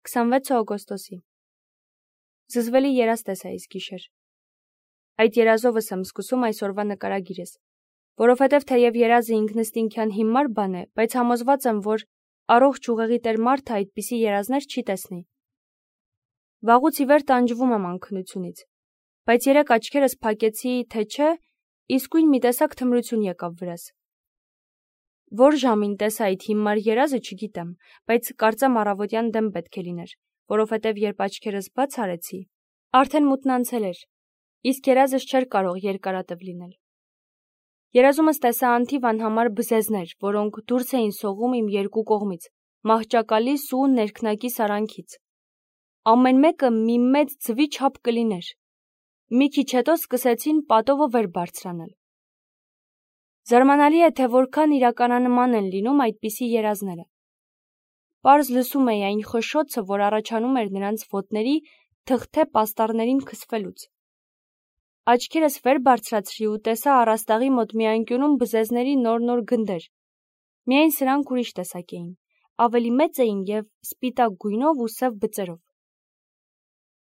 26 օգոստոսի։ Զզվելի երազ տեսա այս գիշեր։ Այդ երազովս եմ սկսում այսօրվա նկարագիրս, որովհետև թեև երազը ինքնըստինքյան հիմար բան է, բայց համոզված եմ, որ առողջ ուղեղի տեր մարդը այդպիսի երազներ չի տեսնի։ Վաղուց ի վեր տանջվում եմ անքնությունից, բայց երեկ աչքերս փակեցի, թե չէ, իսկույն մի տեսակ թմրություն եկավ վրաս։ Որ ժամին տեսա այդ հիմար երազը չգիտեմ, բայց կարծեմ առավոտյան դեմ պետք է լիներ, որովհետև երբ աչքերս բաց արեցի, արդեն մութն անցել էր, իսկ երազս չէր կարող երկարատև լինել։ Երազումս տեսա անթիվ անհամար բզեզներ, որոնք դուրս էին սողում իմ երկու կողմից, մահճակալիս ու ներքնակի սարանքից։ Ամեն մեկը մի մեծ ձվի չափ կլիներ։ Մի քիչ հետո սկսեցին պատովը վեր բարձրանալ։ Զարմանալի է, թե որքան իրականանման են լինում այդպիսի երազները։ Պարզ լսում էի այն խշշոցը, որ առաջանում էր նրանց ոտների թղթե պաստառներին քսվելուց։ Աչքերս վեր բարձրացրի ու տեսա առաստաղի մոտ մի անկյունում բզեզների նոր գնդեր։ Միայն սրանք ուրիշ տեսակ էին, ավելի մեծ էին և սպիտակ գույնով ու սև բծերով։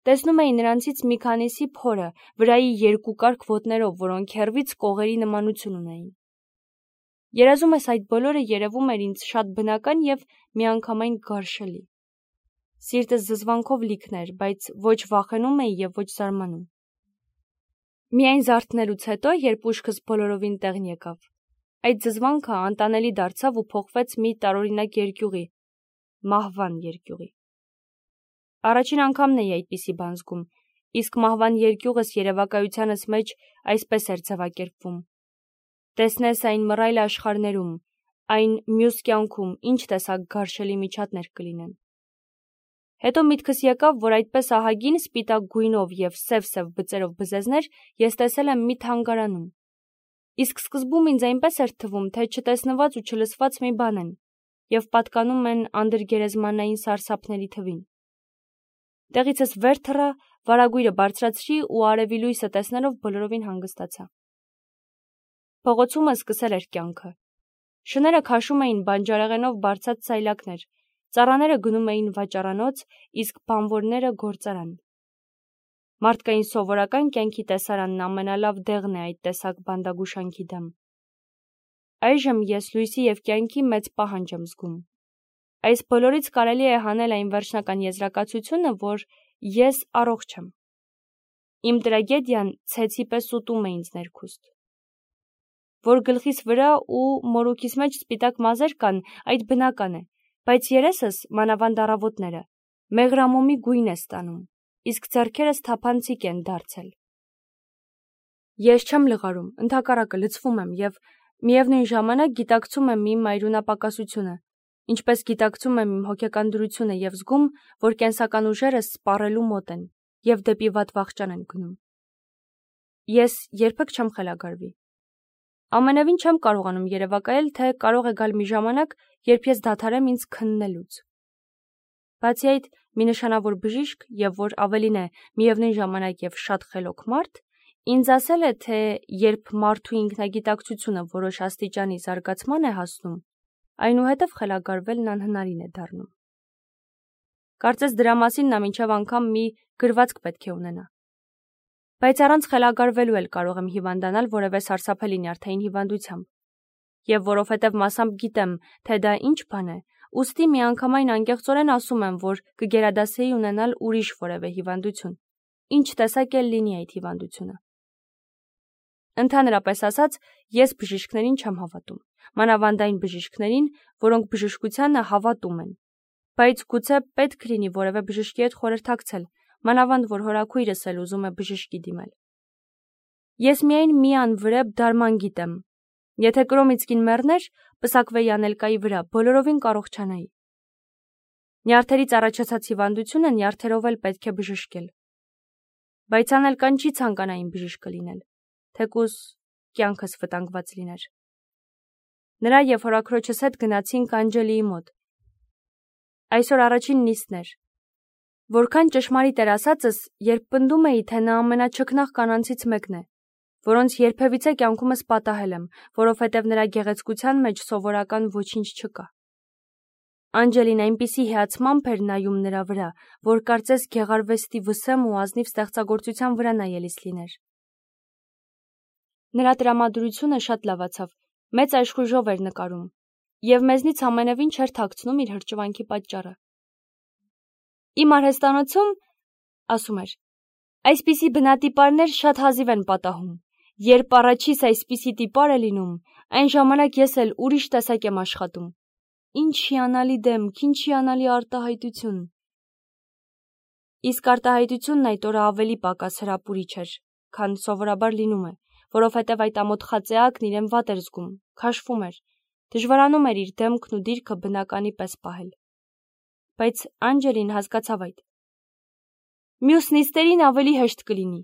Տեսնում էի նրանցից մի քանիսի փորը, վրայի երկուկարգ ոտներով, որոնք հեռվից կողերի նմանություն ունեին։ Երազումս այդ բոլորը երևում էր ինձ շատ բնական և միանգամայն գարշելի։ Սիրտս զզվանքով լիքն էր, բայց ոչ վախենում էի և ոչ զարմանում։ Միայն զարթնելուց հետո, երբ ուշքս բոլորովին տեղն եկավ, այդ զզվանքը անտանելի դարձավ ու փոխվեց մի տարօրինակ երկյուղի, մահվան երկյուղի։ Առաջին անգամն էի այդպիսի բան զգում, իսկ մահվան երկյուղս երևակայությանս մեջ այսպես էր ձևակերպվում. տեսնես այն մռայլ աշխարհներում, այն մյուս կյանքում ինչ տեսակ գարշելի միջատներ կլինեն։ Հետո միտքս եկավ, որ այդպես ահագին սպիտակ գույնով և սև բծերով բզեզներ ես տեսել եմ մի թանգարանում։ Իսկ սկզբում ինձ այնպես էր թվում, թե չտեսնված ու չլսված մի բան են և պատկանում են անդրգերեզմանային սարսափների թվին։ Տեղիցս վեր թռա, վարագույրը բարձրացրի ու արևի լույսը տեսնելով բոլորովին հանգստացա։ Փողոցումը սկսել էր կյանքը։ Շները քաշում էին բանջարեղենով բարձած սայլակներ, ծառաները գնում էին վաճառանոց, իսկ բանվորները գործարան։ Մարդկային սովորական կյանքի տեսարանն ամենալավ դեղն է այդ տեսակ բանդագուշանքի դեմ։ Այժմ ես լույսի և կյանքի մեծ պահանջ եմ զգում։ Այս բոլորից կարելի է հանել այն վերջնական եզրակացությունը, որ ես առողջ եմ։ Իմ տրագեդիան ցեցի պես ուտում է ինձ ներքուստ։ Որ գլխիս վրա ու մորուքիս մեջ սպիտակ մազեր կան, այդ բնական է, բայց երեսս, մանավանդ առավոտները, մեղրամոմի գույն է ստանում, իսկ ձեռքերս թափանցիկ են դարձել։ Ես չեմ լղարում, ընդհակառակը լցվում եմ և միևնույն ժամանակ գիտակցում եմ իմ այրունապակասությունը, ինչպես գիտակցում եմ իմ հոգեկան դրությունը և զգում, որ կենսական ուժերս սպառելու մոտ են և դեպի վատ վախճան են գնում։ Ես երբեք չեմ խելագարվի։ Ամենևին չեմ կարողանում երևակայել, թե կարող է գալ մի ժամանակ, երբ ես դադարեմ ինձ քննելուց։ Բացի այդ, մի նշանավոր բժիշկ և որ ավելին է միևնույն ժամանակ և շատ խելոք մարդ, ինձ ասել է, թե երբ մարդու ինքնագիտակցությունը որոշ աստիճանի զարգացման է հասնում, այնուհետև խելագարվելն անհնարին է դառնում։ Կարծես դրա մասին նա մինչև անգամ մի գրվածք պետք է ունենա։ Բայց առանց խելագարվելու էլ կարող եմ հիվանդանալ որևէ սարսափելի նյարդային հիվանդությամբ։ Եվ որովհետև մասամբ գիտեմ, թե դա ինչ բան է, ուստի միանգամայն անկեղծորեն ասում եմ, որ կգերադասեի ունենալ ուրիշ որևէ հիվանդություն, ինչ տեսակ էլ լինի այդ հիվանդությունը։ Ընդհանրապես ասած, ես բժիշկներին չեմ հավատում, մանավանդ այն բժիշկներին, որոնք բժշկությանը հավատում են, բայց գուցե պետք լինի որևէ բժշկի հետ խորհրդակցել, մանավանդ որ հորաքույրս էլ ուզում է բժշկի դիմել։ Ես միայն մի անվրեպ դարման գիտեմ։ Եթե կրոմիցկին մեռներ, պսակվեի անելկայի վրա, բոլորովին կառողջանայի։ Նյարդերից առաջացած հիվանդությունը նյարդերով էլ պետք է բժշկել։ Բայց անելկան չի ցանկանային բժիշկը լինել, թեկուզ կյանքս վտանգված լիներ։ Նրա և հորաքրոջս հետ գնացինք Անջելիի մոտ։ Այսօր առաջին նիստն էր։ Որքան ճշմարիտ էր ասածս, երբ պնդում էի, թե նա ամենաչքնաղ կանանցից մեկն է, որոնց երբևիցե կյանքումս պատահել եմ, որովհետև նրա գեղեցկության մեջ սովորական ոչինչ չկա։ Անջելին այնպիսի հիացմամբ էր նայում նրա վրա, որ կարծես գեղարվեստի վսեմ ու ազնիվ ստեղծագործության վրա նայելիս լիներ։ Նրա տրամադրությունը շատ լավացավ, մեծ աշխույժով էր նկարում, և մեզնից ամենևին չէր թաքցնում իր հրճվանքի պատճառը։ Իմ արհեստանոցում, ասում էր, այսպիսի բնատիպարներ շատ հազիվ են պատահում։ Երբ առաջիս այսպիսի տիպար է լինում, այն ժամանակ ես էլ ուրիշ տեսակ եմ աշխատում։ Ինչ հիանալի դեմք, ինչ հիանալի արտահայտություն։ Իսկ արտահայտությունն այդ օրը ավելի պակաս հրապուրիչ էր, քան սովորաբար լինում է, որովհետև այդ ամոթ խածեակն իրեն վատ էր զգում, քաշվում էր, դժվարանում էր իր դեմքն ու դիրքը բնականի պես պահել։ Բայց Անջելին հասկացավ այդ։ Մյուս նիստերին ավելի հեշտ կլինի,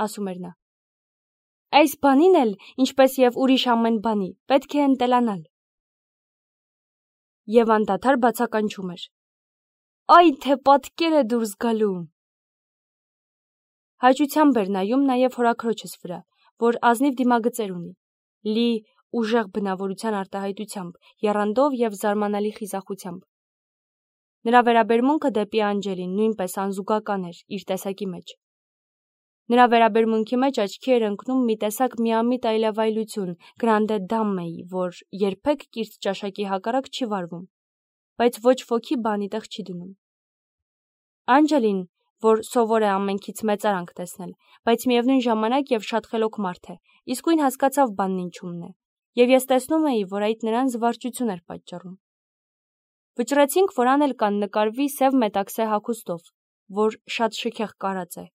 ասում էր նա։ Այս բանին էլ, ինչպես և ուրիշ ամեն բանի, պետք է ընտելանալ։ Եվ անդադար բացականչում էր. Այ թե պատկեր է դուրս գալու։ Հաճությամբ էր նայում նաև հորաքրոջս վրա, որ ազնիվ դիմագծեր ունի, լի ուժեղ բնավորության արտահայտությամբ, եռանդով և զարմանալի խիզախությամբ։ Նրա վերաբերմունքը դեպի Անջելին նույնպես անզուգական էր իր տեսակի մեջ։ Նրա վերաբերմունքի մեջ աչքի էր ընկնում մի տեսակ միամիտ այլավայլություն, գրանդե դամմեի, որ երբեք կիրթ ճաշակի հակառակ չի վարվում, բայց ոչ ոքի բանի տեղ չի դնում։ Անջելին, որ սովոր է ամենքից մեծարանք տեսնել, բայց միևնույն ժամանակ և շատ խելոք մարդ է, իսկույն հասկացավ բանն ինչումն է, և ես տեսնում էի, որ այդ նրան զվարճություն էր պատճառում։ Վճռեցինք, որ անել կան նկարվի սև մետաքսե հագուստով, որ շատ շքեղ կարած է։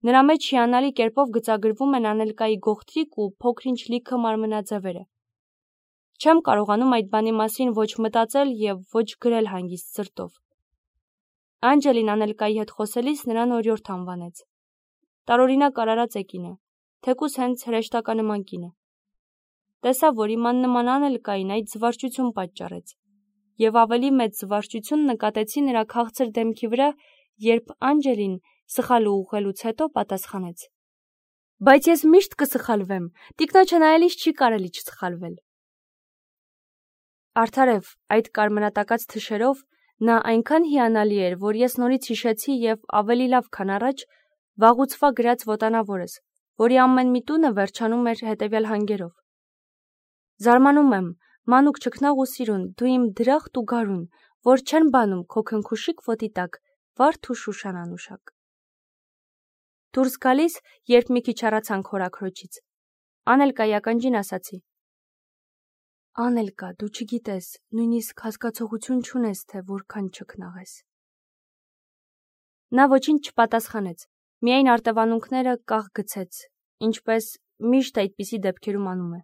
Նրա մեջ հիանալի կերպով գծագրվում են Անելկայի գողտրիկ ու փոքր-ինչ լիքը մարմնաձևերը։ Չեմ կարողանում այդ բանի մասին ոչ մտածել և ոչ գրել հանգիստ սրտով։ Անջելին Անելկայի հետ խոսելիս նրան օրիորդ անվանեց։ Տարօրինակ արարած է կինը, թեկուզ հենց հրեշտականման կինը։ Տեսավ, որ իմ աննման Անելկային այդ զվարճություն պատճառեց, և ավելի մեծ զվարճություն նկատեցի նրա քաղցր դեմքի վրա, երբ Անջելին սխալ ուղղելուց հետո պատասխանեց. Բայց ես միշտ կսխալվեմ, տիկնոջը նայելիս չի կարելի չսխալվել։ Արդարև, այդ կարմրատակած թշերով նա այնքան հիանալի էր, որ ես նորից հիշեցի և ավելի լավ, քան առաջ, վաղուցվա գրած ոտանավորս, որի ամեն մի տունը վերջանում էր հետևյալ հանգերով. Զարմանում եմ, մանուկ ճգնաղ ու սիրուն, դու իմ դրախտ ու գարուն, որ չեն բանում քո քնքուշիկ ոտի տակ, վարդ ու շուշան անուշակ։ Դուրս գալիս, երբ մի քիչ հեռացանք հորաքրոջից, Անելկայի ականջին ասացի. Անելկա, դու չգիտես, նույնիսկ հասկացողություն չունես, թե որքան ճգնաղ ես։ Նա ոչինչ չպատասխանեց, միայն արտևանունքները կաղ գցեց, ինչպես միշտ այդպիսի դեպքերում անում է։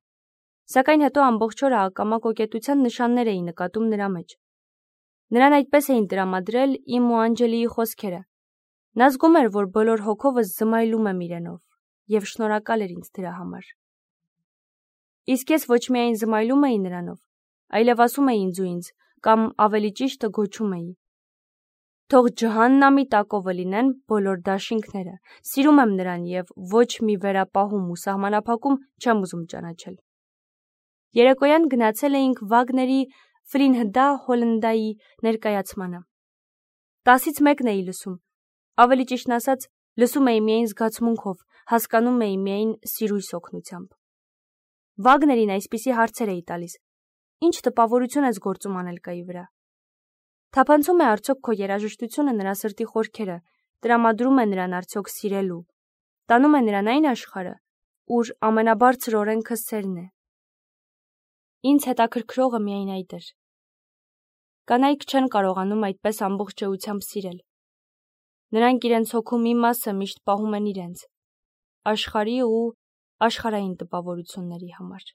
Սակայն հետո ամբողջ օրը ակամա կոկետության նշաններ էի նկատում նրա մեջ։ Նրան այդպես էին տրամադրել իմ ու Անջելիի խոսքերը։ Նա զգում էր, որ բոլոր հոգովս զմայլում եմ իրենով, և շնորհակալ էր ինձ դրա համար։ Իսկ ես ոչ միայն զմայլում էի նրանով, այլև ասում էի ինձ ու ինձ, կամ ավելի ճիշտը գոչում էի. Թող ջհաննամի տակովը լինեն բոլոր դաշինքները, սիրում եմ նրան և ոչ մի վերապահում ու սահմանափակում չեմ ուզում ճանաչել։ Երեկոյան գնացել էինք Վագների Ֆլինհդա Հոլնդայի ներկայացմանը։ 10-ից 1 էի լսում, ավելի ճիշտն ասած, լսում էի միայն զգացմունքով, հասկանում էի միայն սիրույս օգնությամբ։ Վագներին այսպիսի հարցեր էի տալիս. Ինչ տպավորություն ես գործում Անելկայի վրա։ Թափանցում է արդյոք քո երաժշտությունը նրա սրտի խորքերը, տրամադրում է նրան արդյոք սիրելու, տանում է նրան այն աշխարհը, ուր ամենաբարձր օրենքը սերն է։ Ինձ հետաքրքրողը միայն այդ էր։ Կանայք չեն կարողանում այդպես ամբողջ էությամբ սիրել։ Նրանք իրենց հոգու մի մասը միշտ պահում են իրենց, աշխարհի ու աշխարհային տպավորությունների համար։